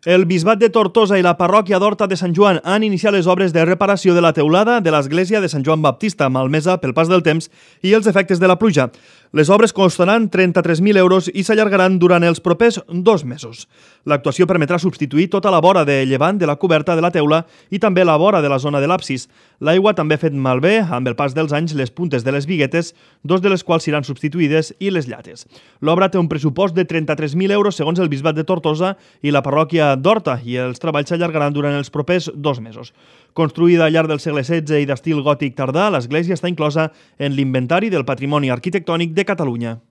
El Bisbat de Tortosa i la parròquia d'Horta de Sant Joan han iniciat les obres de reparació de la teulada de l'església de Sant Joan Baptista, malmesa pel pas del temps i els efectes de la pluja. Les obres costaran 33.000 euros i s'allargaran durant els propers 2 mesos. L'actuació permetrà substituir tota la vora de llevant de la coberta de la teula i també la vora de la zona de l'absis. L'aigua també ha fet malbé, amb el pas dels anys, les puntes de les biguetes, 2 de les quals seran substituïdes, i les llates. L'obra té un pressupost de 33.000 euros segons el Bisbat de Tortosa i la parròquia d'Horta, i els treballs s'allargaran durant els propers 2 mesos. Construïda al llarg del segle XVI i d'estil gòtic tardà, l'església està inclosa en l'Inventari del Patrimoni Arquitectònic de Catalunya.